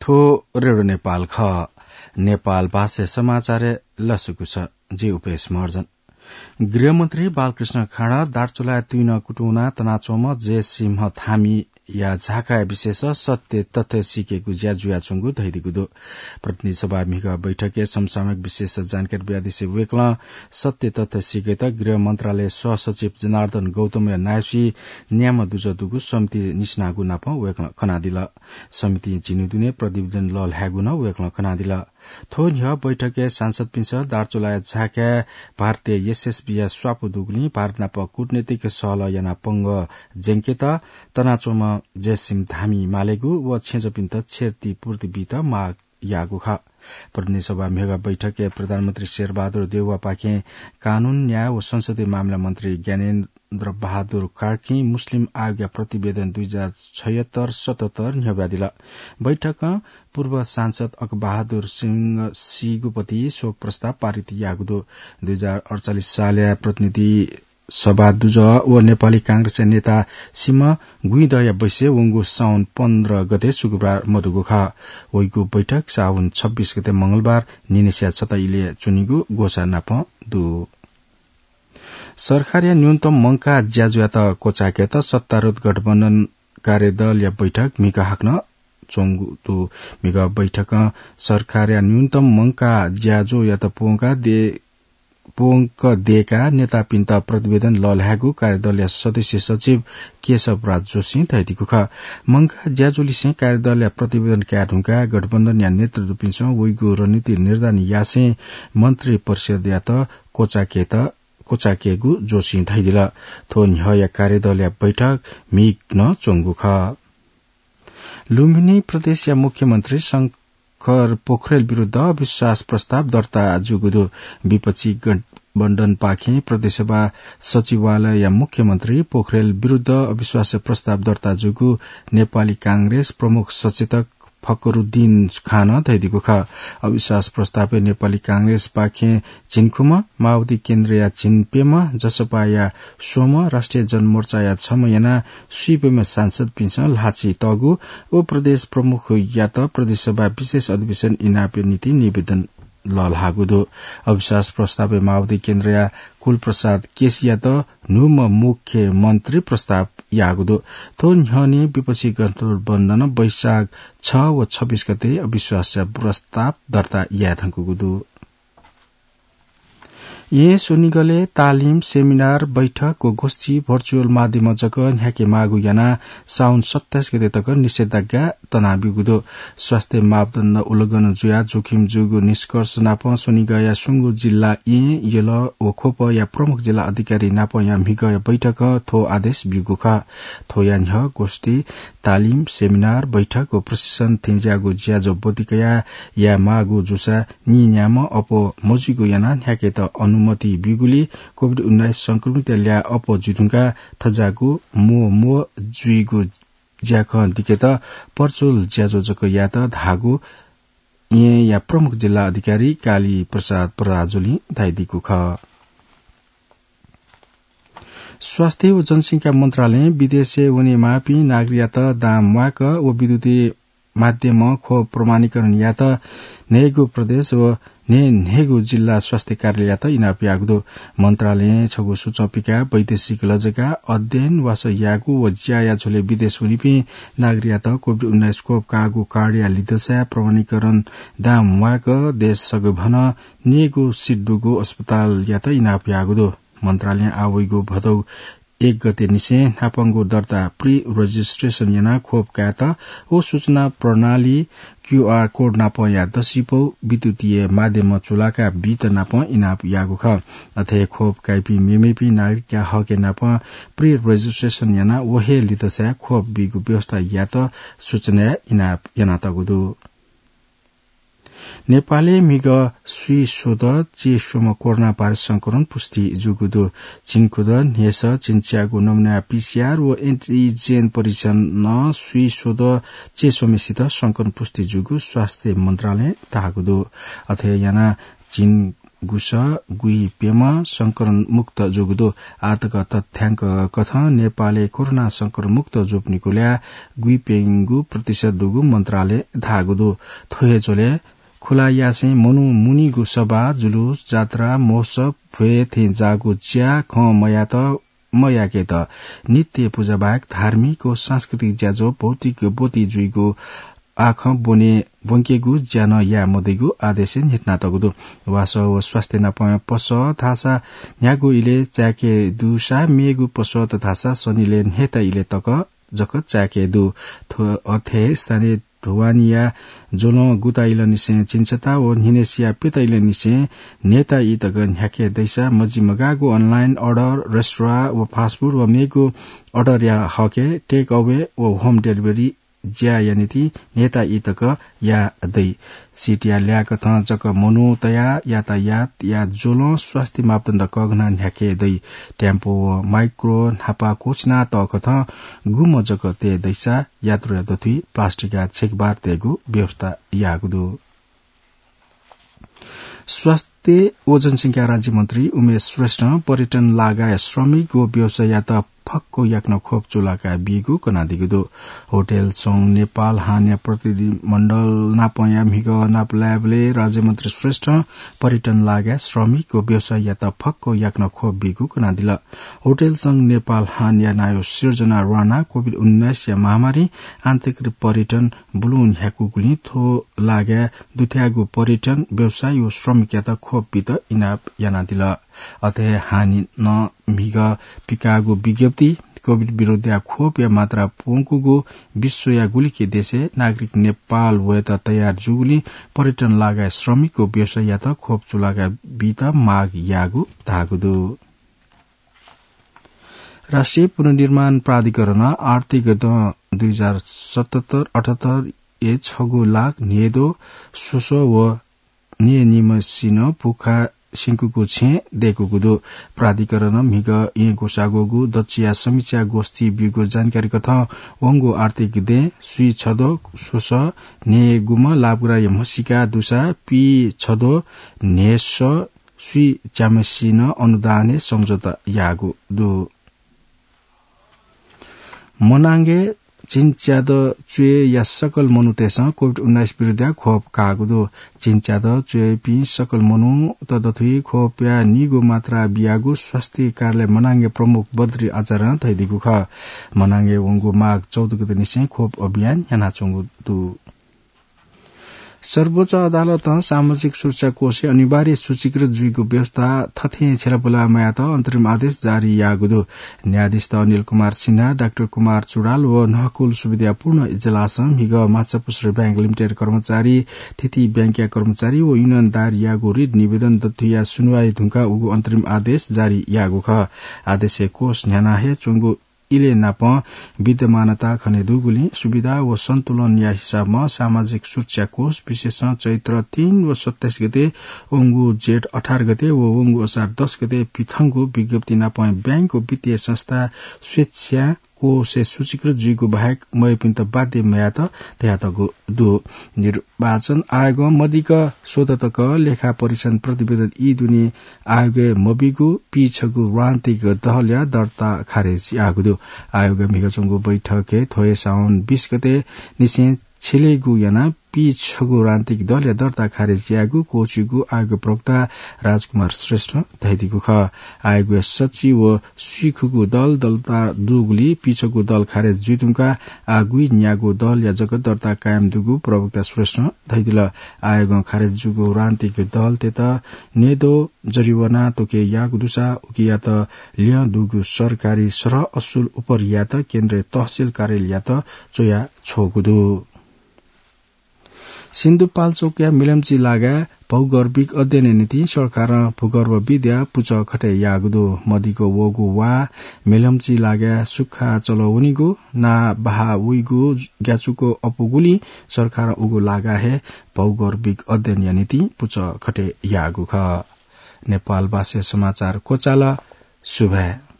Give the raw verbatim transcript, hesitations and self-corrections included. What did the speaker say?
थ्व रेडियो नेपाल खः। नेपाल भाषा समाचार लसुकु छ। जि उपेश महर्जन। गृहमन्त्री बालकृष्ण खाँडा दार्चुलाया तुइन कुतुना तनाच्वंम्ह जयसिंह धामीया झाकाया विषयस सत्य तथ्य सीकेगु ज्या जुयाच्वंगु धयादीगु दु। प्रतिनिधि सभा म्हिगः बैठकय् समसामयिक विषयस जानकारी बियादिसे वय्कलं सत्य तथ्य सीकेत गृह मन्त्रालय सहसचिव जनार्दन गौतमया नायःसि न्याम्ह दुजः दुगु समिति निस्नागु नापं वय्कलं कनादिल। समितिं झिन्हु दुने प्रतिवेदन लःल्हायेगु नं वय्कलं कनादिल। थ्व न्ह्यः बैठकय् सांसदपिन्सं दार्चुलाया झाकाय् भारतय् यशस्वीया स्वापू दुगुलिं भारत नाप कूटनीतिक सहलह यानाः पंगः ज्यंकेत तनाच्वंम्ह जयसिंह धामी मालेगु व छेँजःपिन्त क्षतिपूर्ति बीत माग याःगु खः। प्रतिनिधि सभा म्हिगः बैठकय् प्रधानमन्त्री शेरबहादुर देउवापाखें कानून, न्याय व संसदीय मामिला मन्त्री ज्ञानेन्द्र बहादुर कार्कीं मुस्लिम आयोगया प्रतिवेदन दुई हजार छयत्तर सतहत्तर न्ह्यब्वयादिल। बैठकं पूर्व सांसद अकबहादुर सिंह सीगुपति शोक प्रस्ताव पारित याःगु दु। दुई हजार अडचालिस सालया प्रतिनिधि सभा दुजः व नेपाली कांग्रेसया नेता सिंह गुइँदँया बैसय् वंगु साउन पन्ध्र गते शुक्रबार मदुगु खः। वइगु बैठक साउन छब्बीस गते मंगलबार न्हिनसिया छता इलय् च्वनीगु ग्वसाः नापं दु। सरकारया न्यूनतम मंकाः ज्याझ्वःयात क्वचाय्केत सत्तारूढ गठबन्धन कार्यदलया बैठक म्हिगः हाकनं च्वंगु दु। म्हिगः बैठकं सरकारया न्यूनतम मंकाः ज्याझ्वःयात प्वंका दे-, प्वंक देय्काः नेतापिन्त प्रतिवेदन लःल्हायेगु कार्यदलया सदस्य सचिव केशव राज जोशीं धयादीगु खः। मंकाः ज्याझ्वःलिसें कार्यदलया प्रतिवेदन काये धुंकाः गठबन्धनया नेतृत्वपिन्सं वइगु रणनीति निर्धारण यासें मन्त्री परिषदयात क्वचाय्केत, क्वचाय्केगु जोशीं धयादिल। थ्व न्ह्यःया कार्यदलया बैठक म्हिगः नं च्वंगु खः। लुम्बिनी प्रदेशया मुख्यमन्त्री शंकर पोखरेल विरुद्ध अविश्वास प्रस्ताव दर्ता जूगु दु। विपक्षी गठबन्धनपाखें प्रदेशसभा सचिवालयया मुख्यमन्त्री पोखरेल विरुद्ध अविश्वास प्रस्ताव दर्ता जूगु नेपाली कांग्रेस प्रमुख सचेतक फकरुद्दीन खानं धयादीगु खः। अविश्वास प्रस्तावय् नेपाली कांग्रेसपाखें झिंखुम्ह, माओवादी केन्द्रया झिंप्यम्ह, जसपाया स्वम्ह, राष्ट्रिय जनमोर्चाया छम्ह यानाः स्वीप्यम्ह सांसदपिन्सं ल्हाःचितःगु व प्रदेश प्रमुखयात प्रदेशसभा विशेष अधिवेशन इनापया निंतिं निवेदन लःल्हाःगु दु। अविश्वास प्रस्तावय् माओवादी केन्द्रया कुलप्रसाद केसीयात न्हूम्ह मुख्यमन्त्री प्रस्ताव याःगु दु। थ्व न्ह्यःने विपक्षी गठबन्धनं वैशाख छ व छब्बीस गते अविश्वास प्रस्ताव दर्ता याये धुंकूगु दु। येँ स्वनिगलय् तालिम, सेमिनार, बैठक व गोष्ठी भर्चुअल माध्यमं जक न्ह्याके माःगु यानाः साउन सत्ताइस गते तक निषेधाज्ञा तनाब्यूगु दु। स्वास्थ्य मापदण्ड उल्लंघन जुयाः जोखिम जूगु निष्कर्ष नापं स्वनिगःया स्वंगू जिल्ला येँ, यल व ख्वपया प्रमुख जिल्ला अधिकारी नापंया म्हिगःया बैठकं थ्व आदेश ब्यूगु खः। थ्वया न्ह्यः गोष्ठी, तालिम, सेमिनार, बैठक व प्रशिक्षण थेंज्याःगु ज्याझ्वः ब्वति कयाः याये माःगु जूसा नीन्याम्ह अप्वः मजुइगु यानाः न्ह्याकेत अनुमति ब्यूगुलिं कोभिड उन्नाइस संक्रमितया ल्याः अप्वः जुइधुंकाः थज्याःगु म्वःम्वः जुइगु ज्याखँ दिकेत भर्चुअल ज्याझ्वः जक यायेत धाःगु येँया प्रमुख जिल्ला अधिकारी काली प्रसाद पराजुलीं धयादीगु खः। स्वास्थ्य व जनसंख्या मन्त्रालयं विदेशय् वनेमाःपिं नागरिकयात दां म्वाक व विद्युतीय माध्यमं खोप प्रमाणीकरण यायेत न्हय्गू प्रदेश व न्हय्न्हय्गू जिल्ला स्वास्थ्य कार्यालययात इनाप याःगु दु। मन्त्रालयं छगू सूचं पिकाः वैदेशिक लजगाः, अध्ययन, वासः यायेगु व ज्याया झ्वलय् विदेश वनीपिं नागरिकयात कोभिड उन्नाइस खोप काःगु कार्डया लिधंसाय् प्रमाणीकरण दां म्वाक देश सगेभनं न्हय्गू सिट दुगु अस्पतालयात इनाप याःगु दु। मन्त्रालयं आः वइगु भदौ एक गते निसें न्हापांगु दर्ता pre registration यानाः खोप कायेत व सूचना प्रणाली क्यूआर कोड नापंया दसिपौ विद्युतीय माध्यमं चुलाका बीत नापं इनाप याःगु खः। अथे हे खोप काइपिं मेमेपिं नागरिकया हकय् नापं pre registration यानाः व हे लिधंसाय् खोप बीगु व्यवस्था यायेत सूचनाय् इनाप यानातःगु दु। नेपालय् म्हिगः स्वीस्वदँ चय्स्वम्ह कोरोना भाइरस संक्रमण पुष्टि जूगु दु। झिंखुदँ न्हय्सः झिंच्यागू नमुना पीसीआर व एन्टिजेन परीक्षणं स्वीस्वदँ चय्स्वम्हेसित संक्रमण पुष्टि जूगु स्वास्थ्य मन्त्रालयं धाःगु दु। अथे यानाः झिं गुसः गुइप्यम्ह संक्रमण मुक्त जूगु दु। आतक तथ्याङ्क कथं नेपालय् कोरोना संक्रमण मुक्त जूपिनिगु ल्याः गुइप्यंगु प्रतिशत दुगु मन्त्रालयं धाःगु दु। थ्व हे झ्वलय् खुला यासें मनू मुनीगु सभा, जुलुस, जात्रा, महोत्सव, भ्वय् थें जाःगु ज्या खँ मयात मयाकेत नित्य पूजा बाहेक धार्मिक व सांस्कृतिक ज्याझ्वः, भौतिक ब्वति जुइगु आखं ब्वने ब्वंकेगु ज्या नं याये मदइगु आदेशय् न्ह्यथनातःगु दु। वासः व स्वास्थ्य नापं पसः धाःसा न्ह्यागु इलय् चाय्के दुसा मेगु पसः धाःसा सनिलय् न्हय्ता इलय् तक जक चाय्के दु। थ्व अर्थय् स्थानीय ढुवानीया ज्वलं गुता इलंनिसें झिंछता व न्हिनय्सिया प्यता इलंनिसें न्हय्ता ई तक न्ह्याके दइसा मजिमगाःगु online order, रेस्टुराँ व fast food व मेगु order या हके take away व home delivery ज्याया निंतिं न्हय्ता ई तक या दइ। सीटया ल्याः कथं जक मनू तयाः यातायातया ज्वलं स्वास्थ्य मापदण्ड कःघानाः न्ह्याके दइ। टेम्पो व माइक्रो न्हापा क्वःछिना तःकथं गुम्ह जक तये दइसा यात्रुया दथुइ प्लास्टिकया छेकबार तयेगु व्यवस्था याःगु दु। स्वास्थ्य व जनसंख्या राज्यमन्त्री उमेश श्रेष्ठं पर्यटन लागाय् श्रमिक व व्यवसाययात फक्व याकनं खोप चूलाका बीगु कनादीगु दु। होटल संघ नेपाल हानया प्रतिनिधि मण्डल नापंया म्हिगः नापलायेबलय् राज्यमन्त्री श्रेष्ठं पर्यटन लागाय् श्रमिक व व्यवसाययात फक्व याकनं खोप बीगु कनादिल। होटल संघ नेपाल हानया नायः सिर्जना राणा COVID उन्नाइसया महामारी आन्तरिक पर्यटन बुलुं न्ह्याकूगुलिं थ्व लागाय् दुथ्याःगु पर्यटन व्यवसायी व श्रमिकयात खोप बीत इनाप यानादिल। अथे हे हानं म्हिगः पिकाःगु विज्ञप्ति COVID विरुद्धया खोपया मात्रा प्वंकूगु विश्वया गुलिखे देशय् नागरिक नेपाल वयेत तयार जूगुलिं पर्यटन लागाय् श्रमिक व व्यवसायीयात खोप चूलाका बीत माग याःगु धाःगु दु। राष्ट्रिय पुनर्निर्माण प्राधिकरणं आर्थिक दँ दुई हजार सतहत्तर अठहत्तर ए छगू लाख न्हेदो स्वसः व न्हेनिम्हसिनं भुखा सिंकूगु छेँ दय्कूगु दु। प्राधिकरणं म्हिगः येँ ग्वसाः ग्वःगु दच्छिया समीक्षा गोष्ठी ब्यूगु जानकारी कथं वंगु आर्थिक दँय् स्वीछद्वः स्वसः न्हेगुम्ह लाभग्राही म्हसीका दुसा पीछद्वः न्हेसः स्वीच्याम्हसिनं अनुदानय् सम्झौता याःगु दु। मनांगय् झिंच्यादँ च्वय्‌या सकल मनूतय्‌सं COVID उन्नाइस विरुद्धया खोप काःगु दु। झिंच्यादँ च्वय्‌पिं सकल मनूत दथुइ खोपया निगू मात्रा बियागु स्वास्थ्य कार्यालय मनांगय् प्रमुख बद्री आचार्यं धयादीगु खः। मनांगय् वंगु माघ चौध गतेनिसें खोप अभियान यानाच्वंगु दु। सर्वोच्च अदालतं सामाजिक सुरक्षा कोषय् अनिवार्य सूचीकृत जुइगु व्यवस्था थथें छ्यलापुला मयात अन्तरिम आदेश जारी याःगु दु। न्यायाधीशत अनिल कुमार सिन्हा, डाक्टर कुमार चुडाल व नहकुल सुवेदीया पूर्ण इजलासं म्हिगः माछापुच्छ्रे बैंक लिमिटेड कर्मचारी, थिति बैंकया कर्मचारी व युनियनं दायर याःगु रिट निवेदन दथुइया सुनुवाइ धुंकाः उगु अन्तरिम आदेश जारी याःगु खः। आदेशय् कोष न्ह्याना हे च्वंगु इलय् नाप विद्यमानता खने दुगुलिं सुविधा व सन्तुलनया हिसाबं सामाजिक सुरक्षा कोष विशेषं चैत्र तीन व सत्ताइस गते, वंगु जेठ अठार गते व वंगु असार दस गते पिथंगु विज्ञप्ति नाप बैंक व वित्तीय संस्था स्वेच्छां कोषय् सूचीकृत जुइगु बाहेक मयाःपिन्त बाध्य मयात धयातःगु दु। निर्वाचन आयोगं मदिक्क स्वदँ तक लेखा परीक्षण प्रतिवेदन ई दुने आयोगय् मबीगु पीछगू राजनीतिक दलया दर्ता खारेज याःगु दु। आयोगया म्हिगः च्वंगु बैठकय् थ्व हे साउन बीस गते निसें छ्यलेगु यानाः पीछगू राजनीतिक दलया दर्ता खारेज याःगु क्वःछिउगु आयोगया प्रवक्ता राजकुमार श्रेष्ठं धयादीगु खः। आयोगया सचिव व स्वीखुगू दल दर्ता दुगुलिं पीछगू दल खारेज जुइधुंकाः आः गुइन्यागू दलया जक दर्ता कायम दुगु प्रवक्ता श्रेष्ठं धयादिल। आयोगं खारेज जूगु राजनीतिक दलतय्‌त न्हेदो जरिवाना त्वके याःगु दुसा उकियात ल्यं दुगु सरकारी सरह असुल उपरियात केन्द्रीय तहसिल कार्यालययात च्वया छ्वःगु दु। सिन्धुपाल्चोकया मेलम्ची लागाय् भौगर्भिक अध्ययनया निंतिं सरकारं भूगर्भविद्या पुचः खटे याःगु दु। मदिक्क वःगु वा मेलम्ची लागाय् सुख्खा चलः वनीगु, नाः बहाः वइगु ग्याचुक अपुगुलिं सरकारं उगु लागाय् हे भौगर्भिक अध्ययनया निंतिं पुचः खटे याःगु खः। नेपालभाषाय् समाचार क्वचाल। सुभाय्।